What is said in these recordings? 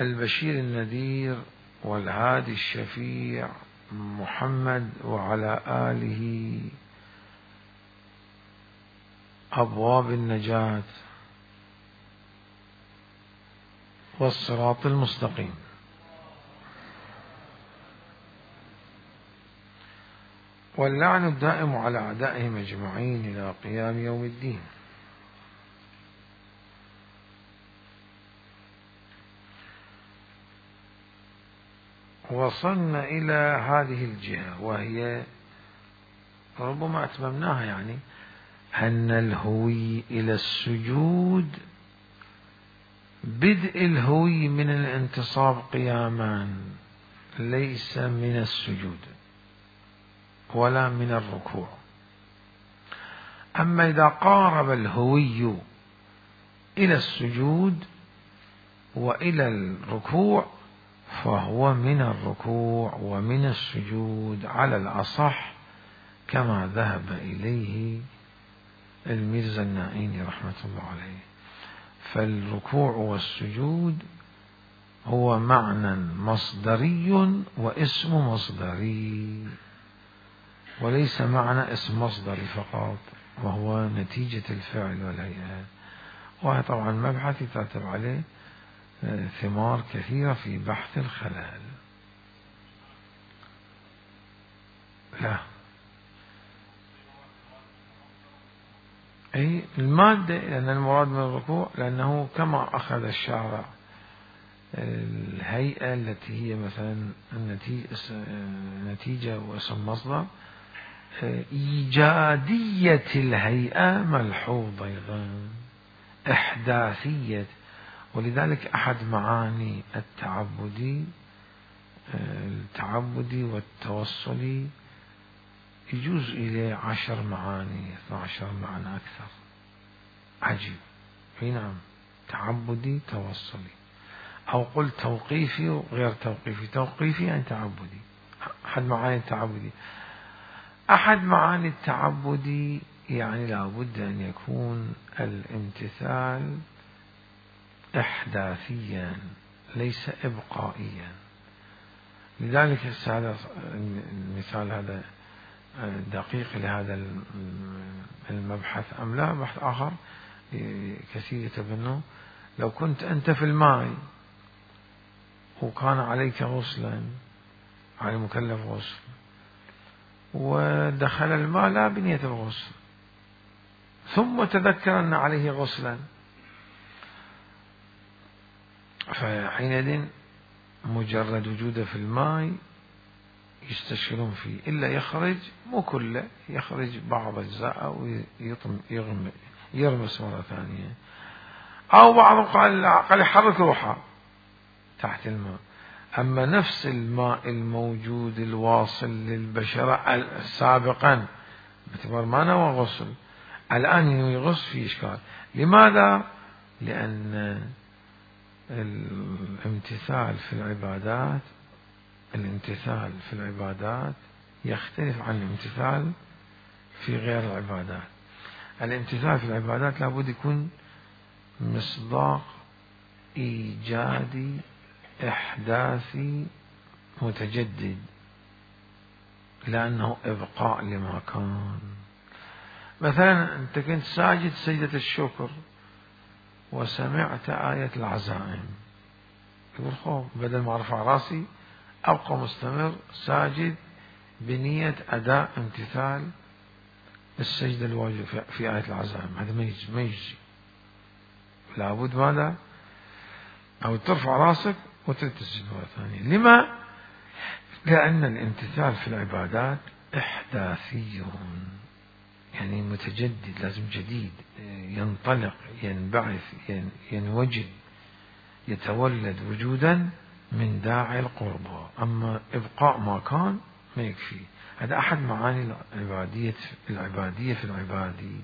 البشير النذير والهادي الشفيع محمد وعلى آله أبواب النجاة والصراط المستقيم. واللعن الدائم على أعدائهم أجمعين إلى قيام يوم الدين. وصلنا إلى هذه الجهة وهي ربما أتممناها، يعني أن الهوي إلى السجود بدء الهوي من الانتصاب قياما، ليس من السجود ولا من الركوع. أما إذا قارب الهوي إلى السجود وإلى الركوع فهو من الركوع ومن السجود على الأصح، كما ذهب إليه الميرزا النائيني رحمة الله عليه. فالركوع والسجود هو معنى مصدري واسم مصدري، وليس معنى اسم مصدري فقط، وهو نتيجة الفعل والهيئة. وهذا طبعا مبحث يترتب عليه ثمار كثيرة في بحث الخلل. لا، أي المادة، لأن المراد من الركوع لأنه كما أخذ الشارع الهيئة التي هي مثلا نتيجة واسم مصدر، إيجادية الهيئة ملحوظ أيضا، إحداثية. ولذلك أحد معاني التعبدي والتوصلي يجوز إليه 10 معاني 12 معنى أكثر. عجيب. نعم، تعبدي توصلي، أو قل توقيفي وغير توقيفي. توقيفي يعني تعبدي، أحد معاني التعبدي. أحد معاني التعبدي يعني لابد أن يكون الامتثال إحداثيا ليس إبقائيا. لذلك هذا المثال هذا دقيق لهذا المبحث أم لا؟ بحث آخر كثير يتبنوا. لو كنت أنت في الماء وكان عليك غسلا، على مكلف غسل، ودخل الماء لا بنية الغسل، ثم تذكر أن عليه غسلا، فحينئذ مجرد وجوده في الماء يستشكلون فيه، إلا يخرج مو كله، يخرج بعض أجزاء ويرمس مرة ثانية. أو بعضهم قال يحرك روحه تحت الماء. أما نفس الماء الموجود الواصل للبشرة سابقا باعتبار ما نوى غسل، الآن ينوي غسل، في إشكال. لماذا؟ لأن الامتثال في العبادات يختلف عن الامتثال في غير العبادات. الامتثال في العبادات لابد يكون مصداق إيجادي إحداثي متجدد، لأنه إبقاء لما كان. مثلا أنت كنت ساجد سجدة الشكر وسمعت آية العزائم، يقول خوف، بدل ما أرفع راسي أبقى مستمر ساجد بنية أداء امتثال السجدة الواجب في آية العزائم. هذا ما يجزي. لابد ماذا؟ أو ترفع راسك وتلتزم مرة ثانية. لما؟ لأن الامتثال في العبادات إحداثي، يعني متجدد، لازم جديد، ينطلق، ينبعث، ينوجد، يتولد وجودا من داعي القربى. أما إبقاء ما كان ما يكفي. هذا أحد معاني العبادية في العبادي.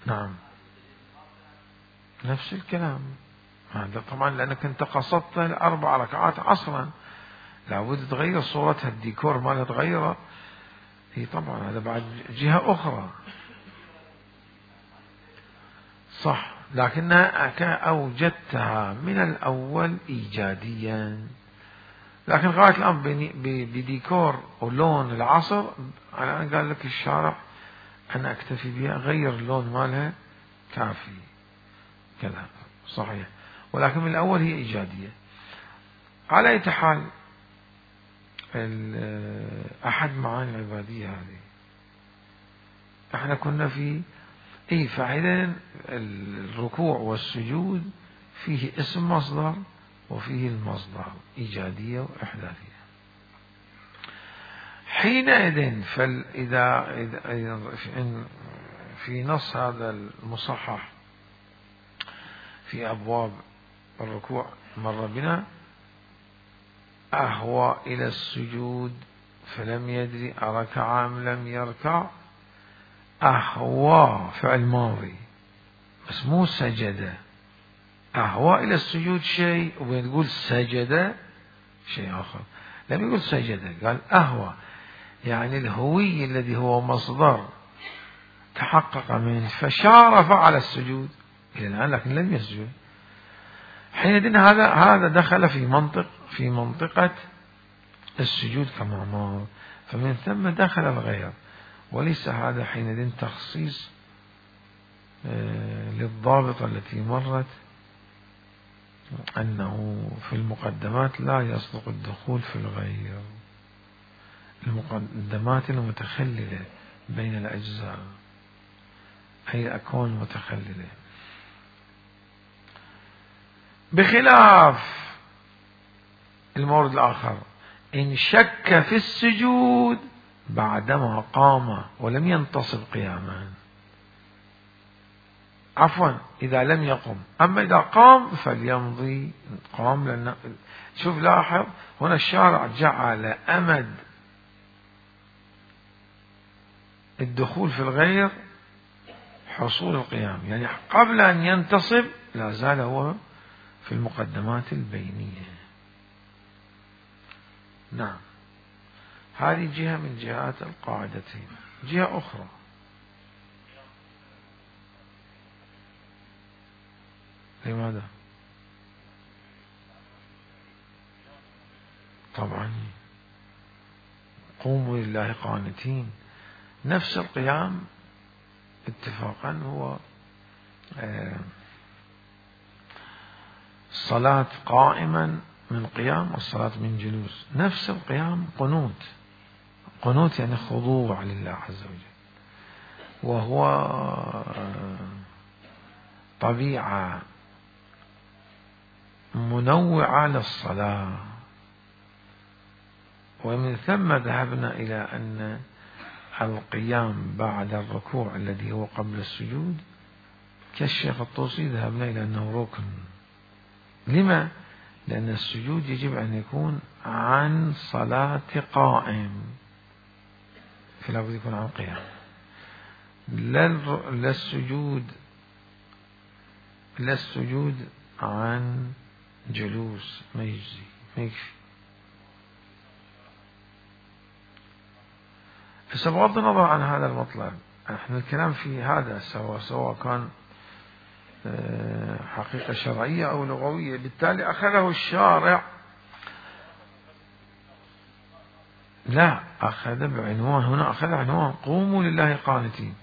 نعم، نفس الكلام. هذا طبعا لأنك أنت قصدت 4 ركعات عصرا، لابد تغير صورتها، الديكور مالها تغيره. هي طبعا هذا بعد جهة أخرى. صح، لكنها أوجدتها من الأول إيجاديا، لكن غاية الآن بديكور ولون العصر أنا قال لك الشارع أنا أكتفي بها، غير اللون مالها كافي كذا صحيح، ولكن من الأول هي إيجادية. على أي حال أحد معاني العبادية هذه احنا كنا في فعلا الركوع والسجود فيه اسم مصدر وفيه المصدر إيجادية وإحداثية. حينئذ فإذا في نص هذا المصحح في أبواب الركوع مر بنا أهوى إلى السجود فلم يدري أركع أم لم يركع. أهوى فعل ماضي بس مو سجد. أهوى إلى السجود شيء وبنقول سجد شيء آخر. لم يقول سجد، قال أهوى، يعني الهوي الذي هو مصدر تحقق منه فشارف على السجود إلى الآن لكن لم يسجد. حينئذ هذا دخل في منطقة السجود كما مر، فمن ثم دخل الغير، وليس هذا حينئذ تخصيص للضابطة التي مرت أنه في المقدمات لا يصدق الدخول في الغير، المقدمات المتخللة بين الأجزاء أي الأكوان المتخللة، بخلاف المورد الآخر إن شك في السجود بعدما قام ولم ينتصب قياما، عفوا إذا لم يقم، أما إذا قام فليمضي قام. لأن شوف لاحظ هنا الشارع جعل أمد الدخول في الغير حصول القيام، يعني قبل أن ينتصب لا زال هو في المقدمات البينية. نعم، هذه جهة من جهات القاعدتين. جهة أخرى لماذا؟ طبعا قوموا لله قانتين، نفس القيام اتفاقا هو الصلاة قائما من قيام والصلاة من جلوس، نفس القيام قنوت يعني خضوع لله عز وجل، وهو طبيعة منوعة للصلاة. ومن ثم ذهبنا إلى أن القيام بعد الركوع الذي هو قبل السجود كالشيخ الطوسي ذهبنا إلى أنه ركن. لما؟ لأن السجود يجب أن يكون عن صلاة قائم، فلا بد يكون عن قيام. لا السجود عن جلوس ما يجزي، ما يكفي. بغض النظر عن هذا المطلب، احنا الكلام في هذا سواء كان حقيقة شرعية أو لغوية، بالتالي أخذه الشارع لا أخذ بعنوان، هنا أخذ عنوان قوموا لله قانتين،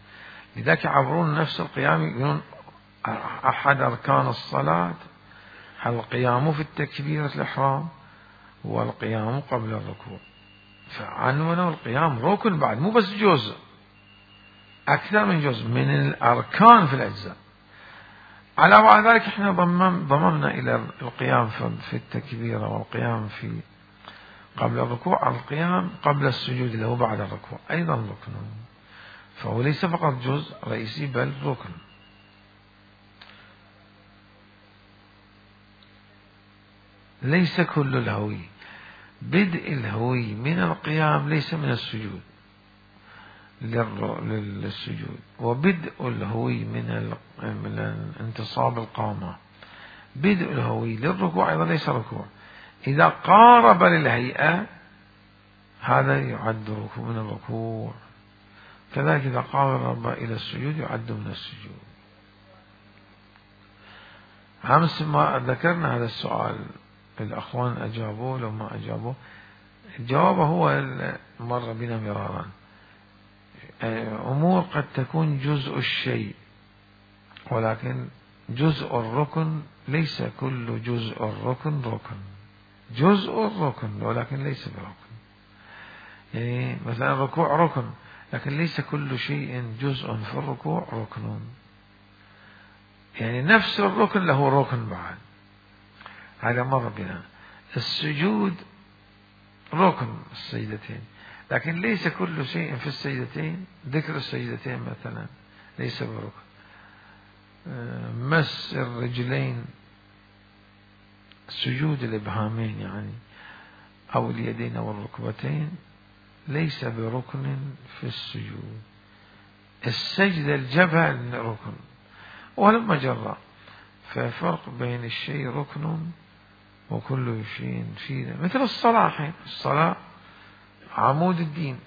لذلك يعبرون نفس القيام يقولون أحد أركان الصلاة القيام في التكبيرة الإحرام والقيام قبل الركوع، فعنونه القيام ركن بعد، مو بس جزء، أكثر من جزء من الأركان في الأجزاء. على بعد ذلك احنا ضممنا إلى القيام في التكبيرة والقيام في قبل الركوع، القيام قبل السجود اللي هو بعد الركوع أيضا ركن، فهو ليس فقط جزء رئيسي بل ركن. ليس كل الهوي، بدء الهوي من القيام ليس من السجود للسجود، وبدء الهوي من انتصاب القامة، بدء الهوي للركوع أيضا ليس ركوع. إذا قارب للهيئة هذا يعد ركوع من الركوع، كذلك إذا قارب إلى السجود يعد من السجود. أمس ما ذكرنا هذا السؤال، الأخوان أجابوه لو ما أجابوه. الجواب هو مر بنا مرارا، أمور قد تكون جزء الشيء، ولكن جزء الركن ليس كل جزء الركن ركن، جزء الركن ولكن ليس بركن. يعني مثلا الركوع ركن، لكن ليس كل شيء جزء في الركوع ركن. يعني نفس الركن له ركن بعد، هذا مر بنا. السجود ركن السجدتين، لكن ليس كل شيء في السجدتين، ذكر السجدتين مثلا ليس بركن. مس الرجلين، سجود الإبهامين يعني أو اليدين أو الركبتين ليس بركن في السجود. السجدة الجبهة ركن ولما جرى، ففرق بين الشيء ركن وكل شيء فيه، مثل الصلاة. الصلاة عمود الدين،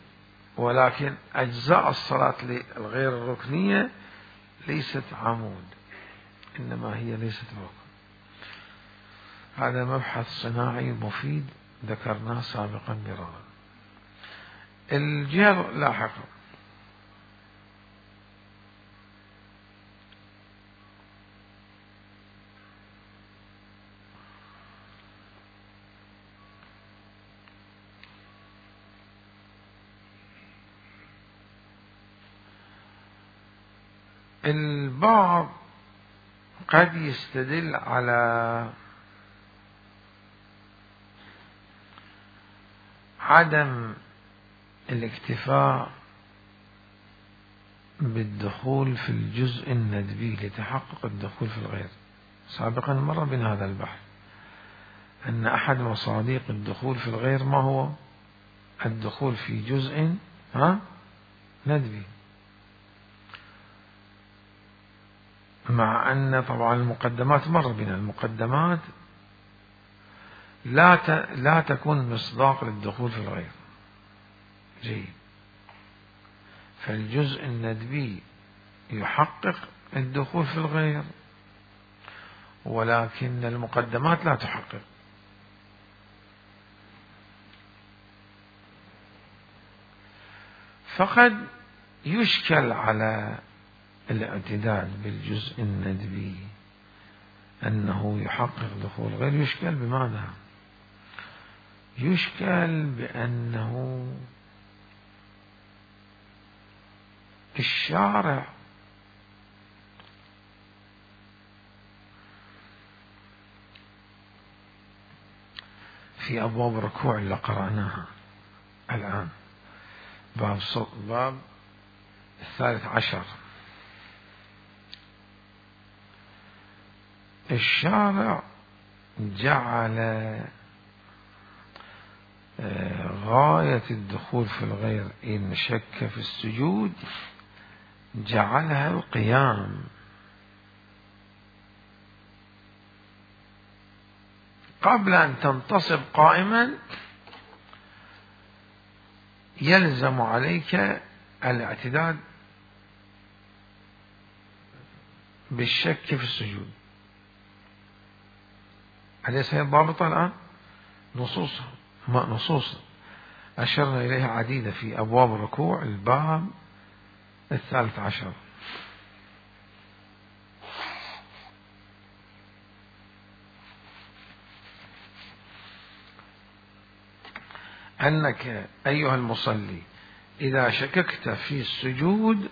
ولكن أجزاء الصلاة الغير الركنية ليست عمود، إنما هي ليست ركن. هذا مبحث صناعي مفيد ذكرناه سابقا مرارا. الجهة لاحقا، البعض قد يستدل على عدم الاكتفاء بالدخول في الجزء الندبي لتحقق الدخول في الغير. سابقا مر بنا هذا البحث، أن أحد مصادق الدخول في الغير ما هو؟ الدخول في جزء ندبي، مع أن طبعا المقدمات مر بنا، المقدمات لا تكون مصداق للدخول في الغير. جيد، فالجزء الندبي يحقق الدخول في الغير، ولكن المقدمات لا تحقق. فقد يشكل على الاعتداد بالجزء الندبي أنه يحقق دخول غير، يشكل بماذا؟ يشكل بأنه الشارع في أبواب الركوع اللي قرأناها الآن، باب 13، الشارع جعل غاية الدخول في الغير إن شك في السجود جعلها القيام، قبل أن تنتصب قائما يلزم عليك الاعتداد بالشك في السجود. أليس هي الضابطة الآن؟ نصوص أشرنا إليها عديدة في أبواب الركوع، الباب 13. أنك أيها المصلي إذا شككت في السجود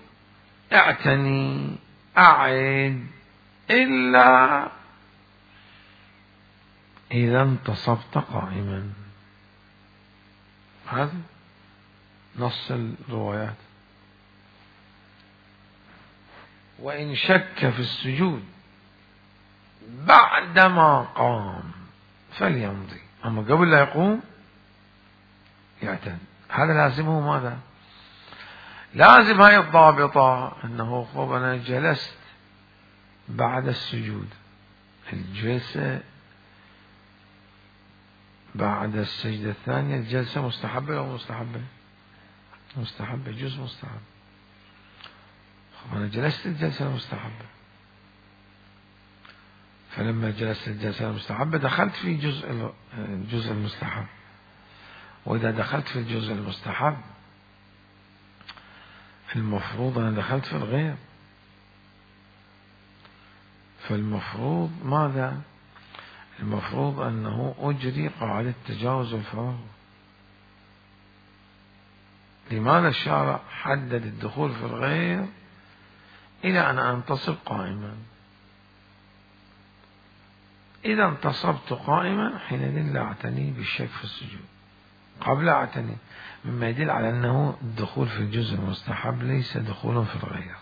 اعتني، أعد، إلا إذا انتصبت قائما. هذا نص الروايات. وإن شك في السجود بعدما قام فليمضي، أما قبل لا يقوم يعتد. هذا لازمه ماذا؟ لازم هاي الضابطة، أنه خب أنا جلست بعد السجود، الجلسة بعد السجدة الثانية الجلسة مستحبة أو مستحبة؟ مستحبة، جزء مستحب. خب أنا جلست الجلسة المستحبة، فلما جلست الجلسة المستحبة دخلت في الجزء المستحب، وإذا دخلت في الجزء المستحب المفروض أنا دخلت في الغير، فالمفروض ماذا؟ المفروض أنه أجري قاعدة تجاوز الفراغ. لماذا الشارع حدد الدخول في الغير إلى أن أنتصب قائما؟ إذا انتصبت قائما حينئذ لا أعتني بالشك في السجود، قبل أعتني، مما يدل على أنه الدخول في الجزء المستحب ليس دخول في الغير.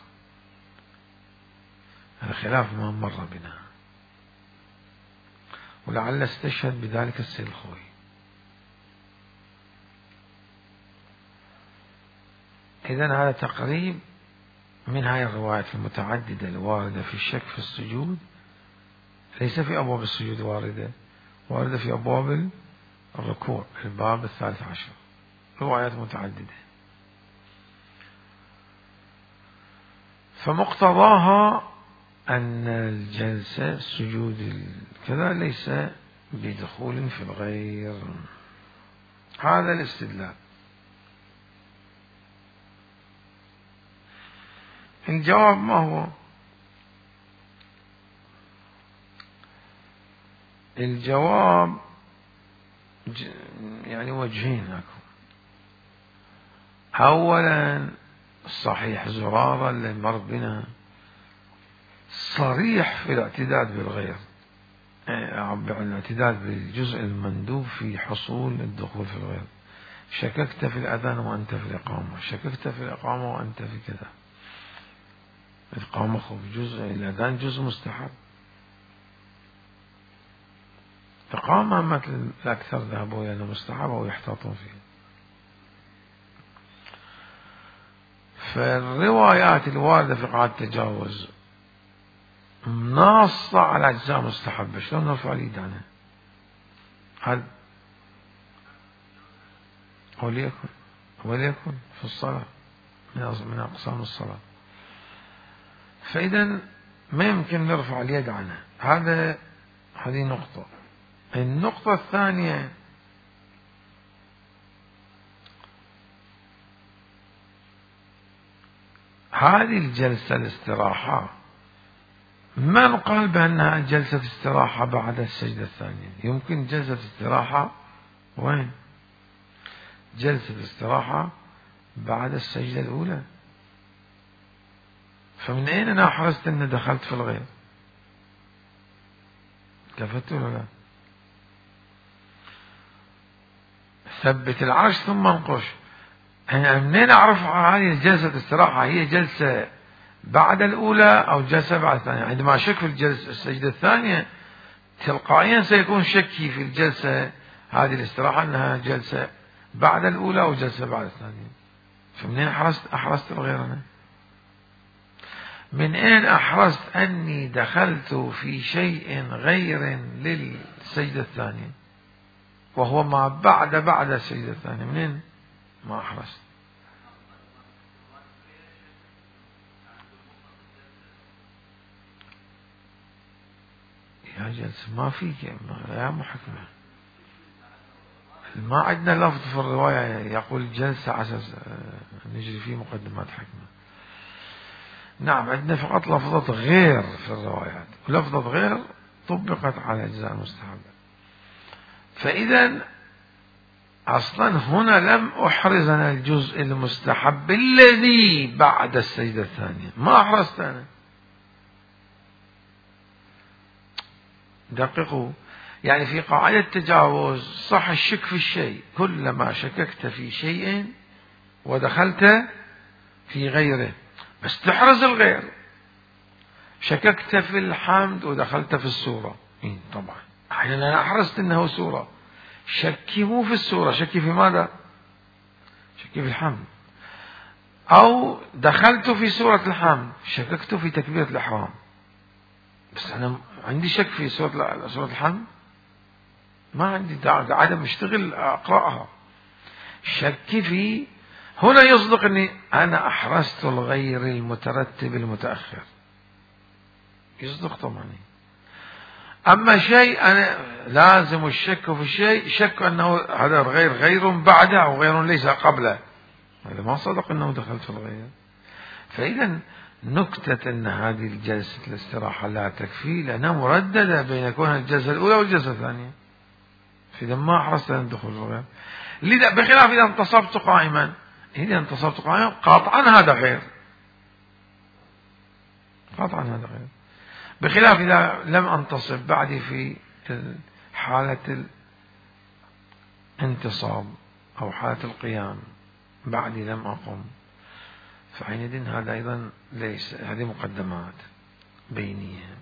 هذا خلاف ما مر بنا، ولعل استشهد بذلك السيد الخوي. إذن هذا تقريب من هاي الروايات المتعددة الواردة في الشك في السجود، ليس في أبواب السجود واردة في أبواب الركوع، الباب 13، روايات متعددة. فمقتضاها أن الجلسة السجود كذا ليس بدخول في الغير. هذا الاستدلال. الجواب ما هو؟ الجواب يعني وجهين لكم. أولا صحيح زرارة اللي مر بنا صريح في الاعتداد بالغير، الاعتداد بالجزء المندوب في حصول الدخول في الغير. شككت في الأذان وأنت في الإقامة، شككت في الإقامة وأنت في كذا. الإقامة جزء، الأذان جزء مستحب، إقامة مثل الأكثر ذهبوا إلى أنه مستحب ويحتاطون فيه. فالروايات الواردة في قاعدة التجاوز ناصة على أجزاء مستحبة، شلون نرفع اليد عنها؟ هل وليكن في الصلاة من أقسام الصلاة، فإذا ما يمكن نرفع اليد عنها. هذه نقطة. النقطة الثانية، هذه الجلسة الاستراحة من قال بأنها جلسة استراحة بعد السجدة الثانية؟ يمكن جلسة استراحة وين؟ جلسة استراحة بعد السجدة الأولى. فمن أين أنا حرصت أن دخلت في الغير؟ كفت ولا لا؟ ثبت العرش ثم انقش. منين أعرف هذه الجلسة الاستراحة هي جلسة بعد الأولى أو جلسة بعد الثانية؟ عندما أشك في السجدة الثانية تلقائيا سيكون شكي في الجلسة هذه الاستراحة أنها جلسة بعد الأولى أو جلسة بعد الثانية. فمنين أحرزت الغير أنا؟ من أين أحرزت أني دخلت في شيء غير للسجدة الثانية وهو ما بعد السجدة الثانية؟ منين ما أحرزت؟ يا جلسة ما فيك يا محكمة، ما عندنا لفظ في الرواية يقول جلسة على أساس نجري فيه مقدمات حكمة. نعم عندنا فقط لفظة غير في الروايات، ولفظة غير طبقت على أجزاء المستحبة. فإذا أصلا هنا لم أحرزنا الجزء المستحب الذي بعد السجدة الثانية، ما أحرزت أنا. دققوا، يعني في قاعدة التجاوز صح الشك في الشيء، كلما شككت في شيء ودخلت في غيره بس تحرز الغير. شككت في الحمد ودخلت في السورة، طبعا أحيانا أنا أحرزت أنه سورة، شكي مو في السورة، شكي في ماذا؟ شكي في الحمد. أو دخلت في سورة الحمد شككت في تكبيرة الإحرام، بس أنا عندي شك في سورة الحمد، ما عندي عدم اشتغل أقرأها. شكي في هنا يصدق أني أنا أحرزت الغير المترتب المتأخر، يصدق طبعا. أما شيء أنا لازم الشك في الشيء، شك أنه هذا غير بعده أو غير ليس قبله، هذا ما صدق أنه دخلت في الغير. فإذا نكتة أن هذه الجلسة الاستراحة لا تكفي، لأنها مرددة بين كونها الجلسة الأولى والجلسة الثانية، فإذا ما حرصت أن تدخل في الغير. لذا بخلاف إذا انتصبت قائما، إذا انتصبت قائما قاطعا هذا غير، قاطعا هذا غير، بخلاف إذا لم أنتصب بعدي في حالة الانتصاب أو حالة القيام، بعدي لم أقم، فحينئذ هذا أيضا ليس، هذه مقدمات بينية.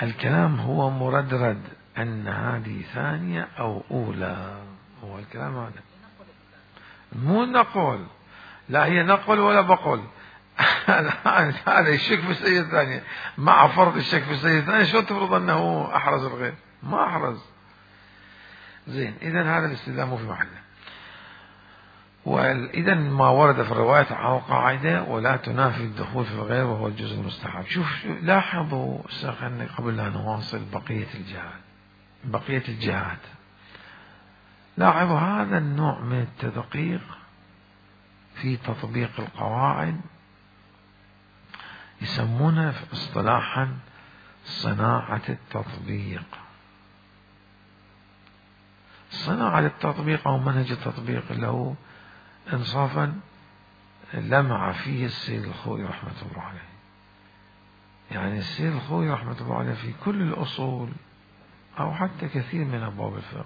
الكلام هو مردرد أن هذه ثانية أو أولى، هو الكلام هذا، مو نقول لا هي نقل ولا بقول. هذا الشك في السيدة الثانية مع فرض الشك في السيدة الثانية، شو تفرض أنه أحرز الغير؟ ما أحرز. زين، إذن هذا الاستدلال مو في محله. وإذا ما ورد في الرواية على قاعدة ولا تنافي الدخول في الغير وهو الجزء المستحب. شوف لاحظوا قبل أن نواصل بقية الجهات، لاحظوا هذا النوع من التدقيق في تطبيق القواعد يسمونه اصطلاحا صناعة التطبيق. صناعة التطبيق أو منهج التطبيق اللي هو إنصافا لمع فيه السيد الخوئي رحمة الله عليه. يعني السيد الخوئي رحمة الله عليه في كل الأصول أو حتى كثير من أبواب الفقه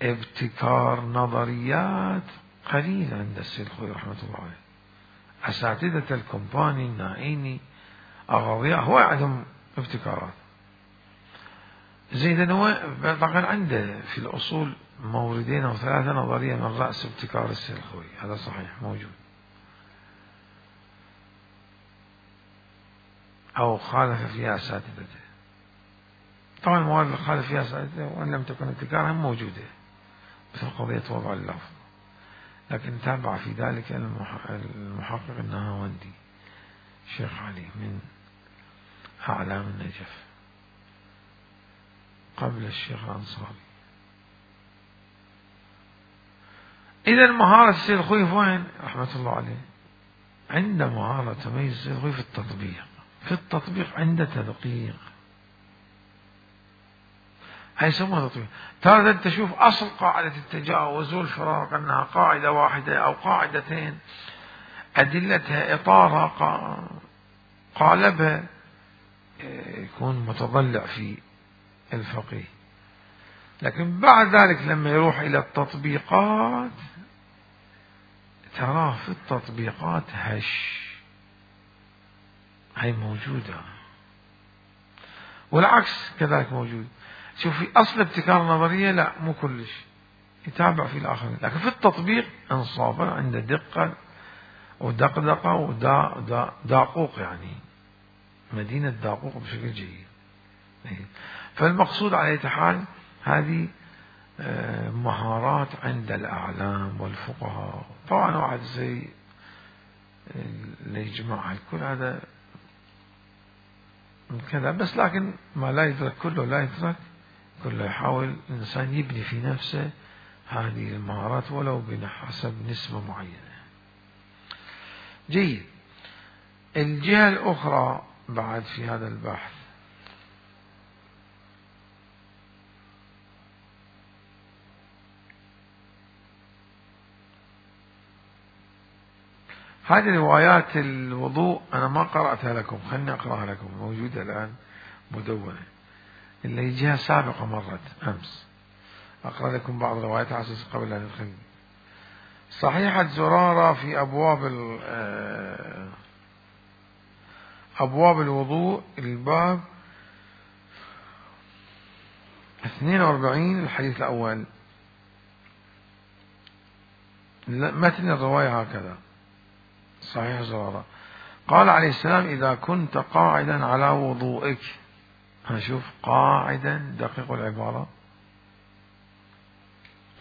ابتكار نظريات قليل عند السيد الخوئي رحمة الله عليه. أساتذة الكومباني، النائيني، أغاضياء، هو عندهم ابتكارات. زين، هو طبعا عنده في الأصول موردين أو ثلاثة نظرية من رأس ابتكار السيد الخوئي، هذا صحيح موجود، أو خالف فيها أساتذته. طبعا الموارد اللي خالف فيها أساتذته وإن لم تكن ابتكارها موجودة، مثل قضية وضع اللفظ، لكن تابع في ذلك المحقق النهاوندي الشيخ علي من أعلام النجف قبل الشيخ الأنصاري. إذا مهارة السيد الخوئي وين رحمة الله عليه؟ عند مهارة تميز السيد الخوئي في التطبيق. في التطبيق عنده تدقيق، هاي يسموها تطبيق. ترى أنت تشوف أصل قاعدة التجاوز والفراق أنها قاعدة واحدة أو قاعدتين، أدلتها إطارها قالبها، يكون متضلع في الفقيه. لكن بعد ذلك لما يروح إلى التطبيقات تراه في التطبيقات هاي موجودة، والعكس كذلك موجود. شوف في أصل ابتكار النظرية لا مو كلش يتابع في الآخرين، لكن في التطبيق انصافا عنده دقة ودقدقة وداقوق، يعني مدينة داقوق بشكل جيد. فالمقصود على أي حال هذه مهارات عند الأعلام والفقهاء. طبعا واحد زي اللي يجمع الكل هذا من كذا بس، لكن ما لا يدرك كله لا يدرك كله. يحاول الإنسان يبني في نفسه هذه المهارات ولو بحسب نسبة معينة. جيد. الجهة الأخرى بعد في هذا البحث هذه روايات الوضوء أنا ما قرأتها لكم، خلني أقرأها لكم، موجودة الآن مدونة، اللي هي جهة سابقة مرت أمس. أقرأ لكم بعض روايات على أساس قبل أن ندخل. صحيحة زرارة في أبواب الوضوء، الباب 42 الحديث الأول. متن الرواية هكذا: صحيح زرارة قال عليه السلام: إذا كنت قاعدا على وضوئك، هنشوف قاعدا، دقيق العبارة،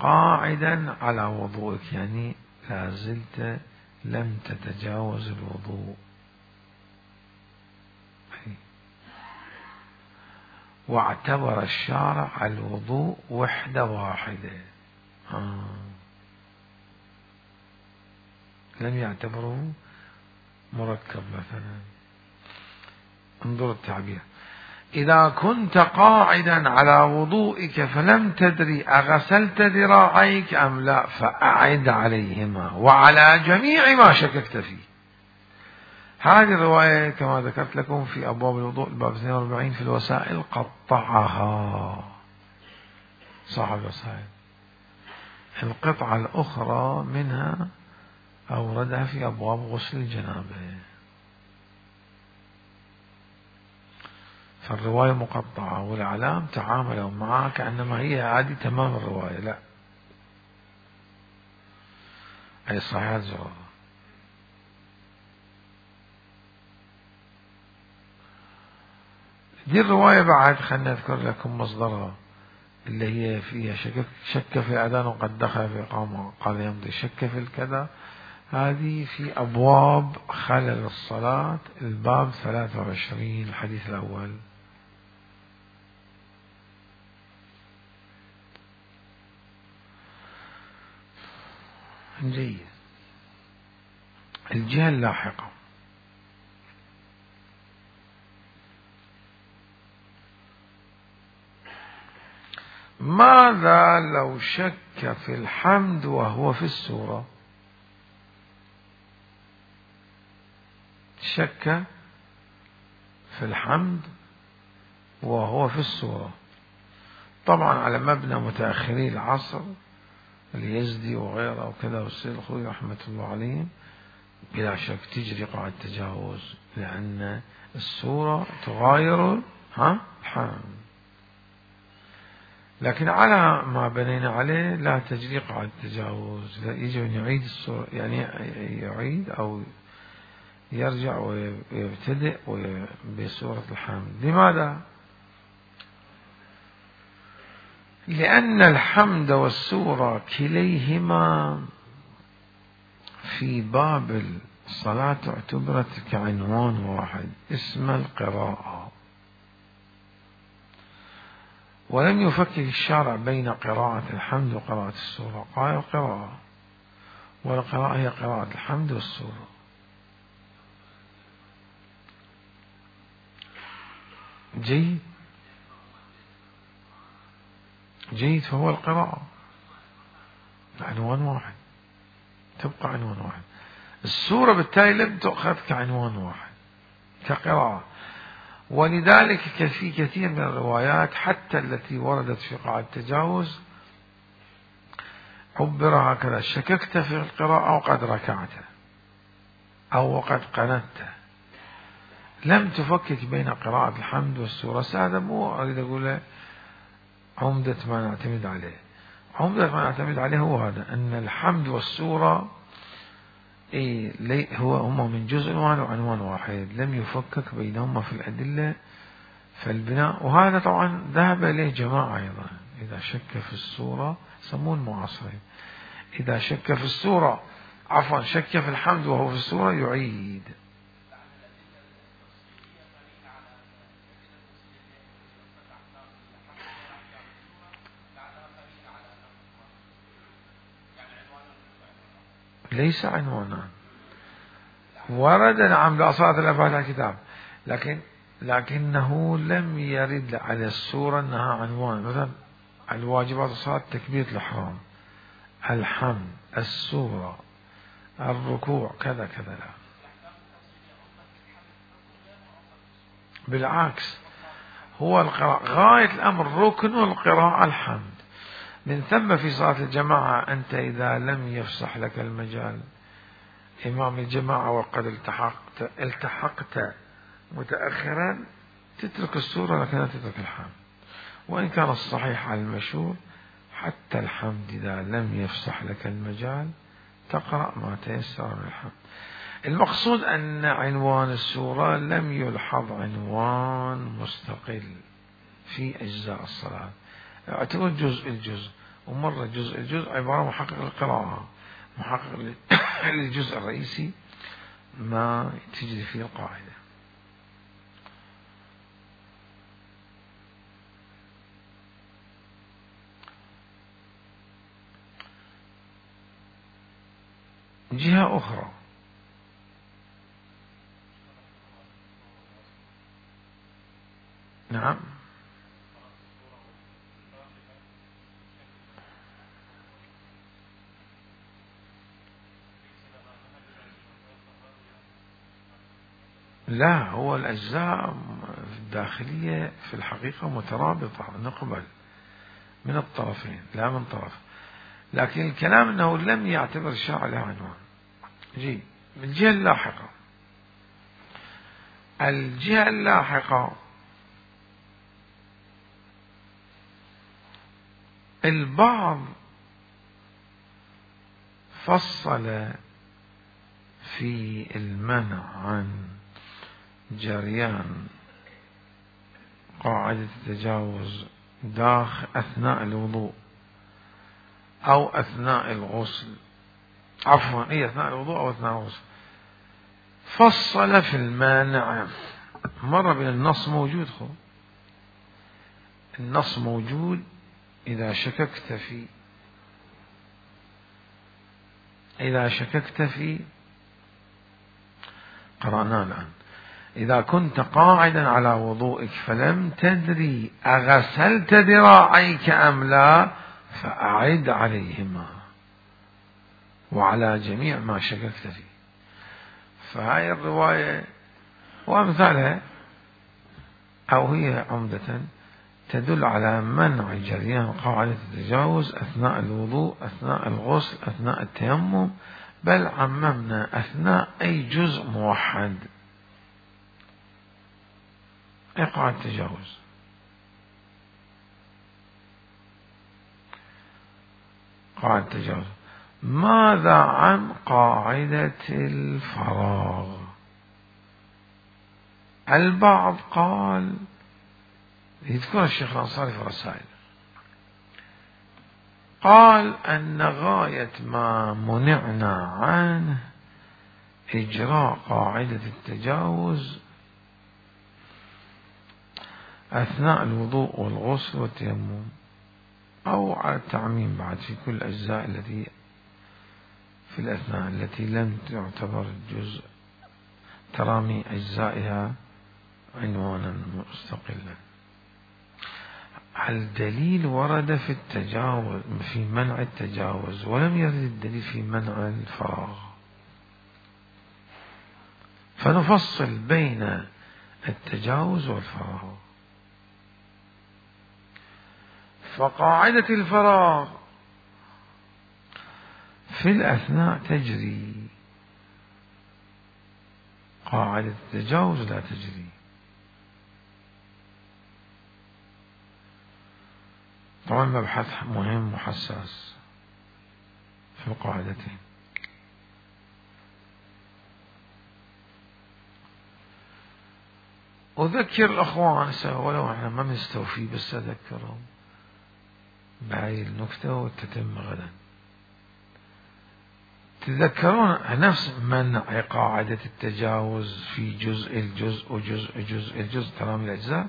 قاعدا على وضوئك يعني لا زلت لم تتجاوز الوضوء. واعتبر الشارع الوضوء وحدة واحدة. لم يعتبره مركب مثلا. انظر التعبير: إذا كنت قاعدا على وضوئك فلم تدري أغسلت ذراعيك أم لا فأعد عليهما وعلى جميع ما شككت فيه. هذه الرواية كما ذكرت لكم في أبواب الوضوء الباب 42 في الوسائل قطعها صاحب الوسائل. القطعة الأخرى منها أوردها في أبواب غسل الجنابة. فالرواية مقطعة والإعلام تعاملوا معها كأنما هي عادي تمام الرواية. لا، أي صحيحة زرارة. دي الرواية بعد خلنا نذكر لكم مصدرها اللي هي فيها شك في الأذان وقد دخل في إقامة قال يمضي، شك في الكذا. هذه في أبواب خلل الصلاة الباب 23 الحديث الأول. جيد. الجهة اللاحقة: ماذا لو شك في الحمد وهو في السورة؟ شك في الحمد وهو في السورة. طبعا على مبنى متأخري العصر اليزدي وغيره وكذا والسيد الخوي رحمة الله عليهم، بلا شك تجري قاعدة التجاوز، لأن السورة تغاير الحمد. لكن على ما بنينا عليه لا تجري قاعدة التجاوز. يجب أن يعيد السورة، يعني يعيد أو يرجع ويبتدئ بسورة الحمد. لماذا؟ لأن الحمد والسورة كليهما في باب الصلاة اعتبرت كعنوان واحد اسم القراءة، ولم يفكك الشارع بين قراءة الحمد وقراءة السورة. قال القراءة، والقراءة هي قراءة الحمد والسورة. جيد جيد. فهو القراءة عنوان واحد، تبقى عنوان واحد. السورة بالتالي لم تؤخذ كعنوان واحد كقراءة. ولذلك في كثير من الروايات حتى التي وردت في قاعدة التجاوز عبر هكذا: شككت في القراءة وقد ركعت أو وقد قنت. لم تفكك بين قراءة الحمد والسورة. هذا مو أريد أقول عمدة ما نعتمد عليه. عمدة ما نعتمد عليه هو هذا، أن الحمد والسورة هما من جزء واحد وعنوان واحد، لم يفكك بينهما في الأدلة. فالبناء، وهذا طبعا ذهب إليه جماعة أيضا، إذا شك في السورة يسمون معاصرين، إذا شك في السورة شك في الحمد وهو في السورة يعيد. ليس عنوانا، ورد نعم لأصالة الأفعال الكتاب، لكنه لم يرد على السورة أنها عنوان. مثلا الواجبات الصلاة تكبيرة الإحرام، الحمد، السورة، الركوع، كذا كذا. لا، بالعكس، هو القراءة غاية الأمر، ركن القراءة الحمد. من ثم في صلاة الجماعة أنت إذا لم يفسح لك المجال إمام الجماعة وقد التحقت متأخرا تترك السورة لكن لا تترك الحمد. وإن كان الصحيح على المشهور حتى الحمد إذا لم يفسح لك المجال تقرأ ما تيسر من الحمد. المقصود أن عنوان السورة لم يلحظ عنوان مستقل في أجزاء الصلاة، اعتبر جزء الجزء، ومرة جزء الجزء عبارة محقق القراءة، محقق الجزء الرئيسي ما تجري فيه القاعدة. جهة أخرى، نعم، لا، هو الأجزاء الداخلية في الحقيقة مترابطة، نقبل من الطرفين لا من طرف، لكن الكلام أنه لم يعتبر الشرع له عنوان. جي الجهة اللاحقة، الجهة اللاحقة البعض فصل في المنع عن جريان قاعدة التجاوز أثناء الوضوء أو أثناء الغسل، عفوا أثناء الوضوء أو أثناء الغسل، فصل في المانع. مرة بين النص موجود، النص موجود إذا شككت في قرأنا الآن: إذا كنت قاعدا على وضوئك فلم تدري أغسلت ذراعيك أم لا فأعد عليهما وعلى جميع ما شككت فيه. فهاي الرواية وأمثالها أو هي عمدة تدل على منع جريان قاعدة التجاوز أثناء الوضوء، أثناء الغسل، أثناء التيمم، بل عممنا أثناء أي جزء موحد. أي قاعدة التجاوز. قاعدة التجاوز. ماذا عن قاعدة الفراغ؟ البعض قال، يذكر الشيخ الأنصاري في الرسائل، قال أن غاية ما منعنا عنه إجراء قاعدة التجاوز أثناء الوضوء والغسل والتيمم، أو على التعميم بعد في كل الأجزاء التي في الأثناء التي لم تعتبر الجزء ترامي أجزائها عنوانا مستقلا. الدليل ورد في التجاوز في منع التجاوز، ولم يرد الدليل في منع الفراغ. فنفصل بين التجاوز والفراغ. فقاعدة الفراغ في الأثناء تجري، قاعدة التجاوز لا تجري. طبعا مبحث مهم وحساس في القاعدتين. أذكر الأخوان ولو احنا ما نستوفي، بس أذكرهم بهاي النكتة وتتم غدا. تذكرون نفس منع قاعدة التجاوز في جزء ترامي الأجزاء،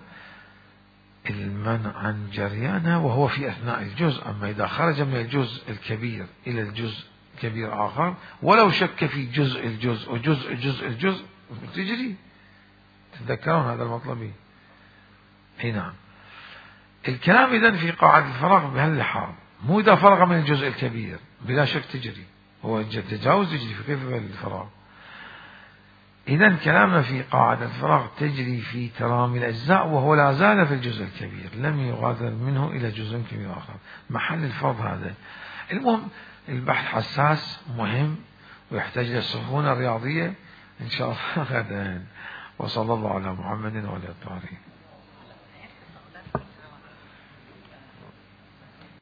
المنع عن جريانها وهو في أثناء الجزء. أما إذا خرج من الجزء الكبير إلى الجزء كبير آخر، ولو شك في جزء الجزء تجري. تذكرون هذا المطلبي؟ أي نعم. الكلام إذن في قاعدة الفراغ بهاللحاظ، مو إذا فرغ من الجزء الكبير بلا شك تجري، هو التجاوز يجري في كيف الفراغ. إذن كلامنا في قاعدة الفراغ تجري في ترامي الأجزاء وهو لا زال في الجزء الكبير، لم يغادر منه إلى جزء كبير آخر، محل الفرض هذا. المهم البحث حساس مهم ويحتاج للسخونة الرياضية إن شاء الله غدا. وصلى الله على محمد وعلى آله.